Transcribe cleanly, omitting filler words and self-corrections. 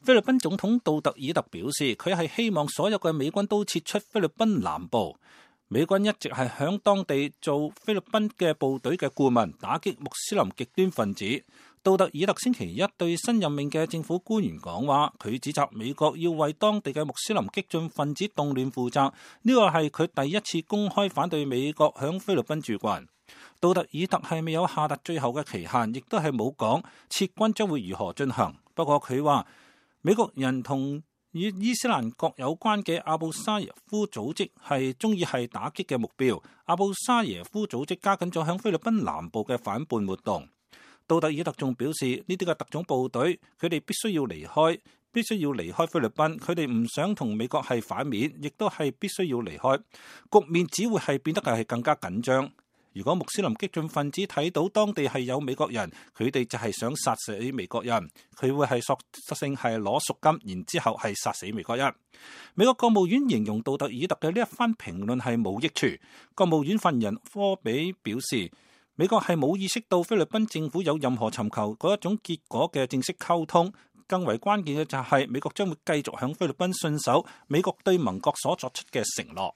菲律賓總統杜特爾特表示，佢係希望所有嘅美軍都撤出菲律賓南部。美軍一直係響當地做菲律賓嘅部隊嘅顧問，打擊穆斯林極端分子。杜特爾特星期一對新任命嘅政府官員講話，佢指責美國要為當地嘅穆斯林激進分子動亂負責，呢個係佢第一次公開反對美國響菲律賓駐軍。杜特爾特係未有下達最後嘅期限，亦都係冇講撤軍將會如何進行。不過佢話美國人同與伊斯蘭國有關嘅阿布沙耶夫組織係中意係打擊嘅目標。阿布沙耶夫組織加緊咗響菲律賓南部嘅反叛活動。杜特爾特仲表示，呢啲嘅特種部隊佢哋必須要離開菲律賓，佢哋唔想同美國係反面，亦都係必須要離開。局面只會係變得係更加緊張。如果穆斯林激進分子睇到當地係有美國人，佢哋就係想殺死美國人，佢會係索性係攞贖金，然之後係殺死美國人。美國國務院形容杜特爾特嘅呢一番評論係冇益處。國務院發言人科比表示，美國係冇意識到菲律賓政府有任何尋求嗰一種結果嘅正式溝通。更為關鍵嘅就係美國將會繼續向菲律賓信守美國對盟國所作出嘅承諾。